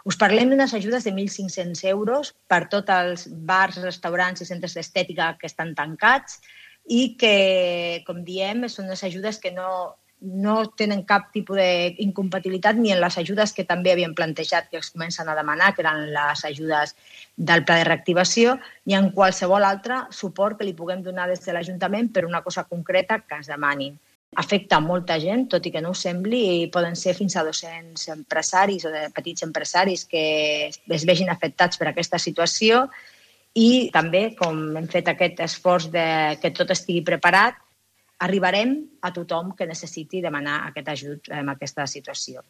Us parlem d'unes ajudes de 1.500 euros per tots els bars, restaurants i centres d'estètica que estan tancats i que, com diem, són unes ajudes que no tenen cap tipus d'incompatibilitat ni en les ajudes que també havien plantejat que es comencen a demanar, que eren les ajudes del pla de reactivació, ni en qualsevol altre suport que li puguem donar des de l'Ajuntament per una cosa concreta que es demani. Afecta molta gent, tot i que no ho sembli, i poden ser fins a 200 empresaris o de petits empresaris que es vegin afectats per aquesta situació i també, com hem fet aquest esforç de que tot estigui preparat, arribarem a tothom que necessiti demanar aquest ajut en aquesta situació.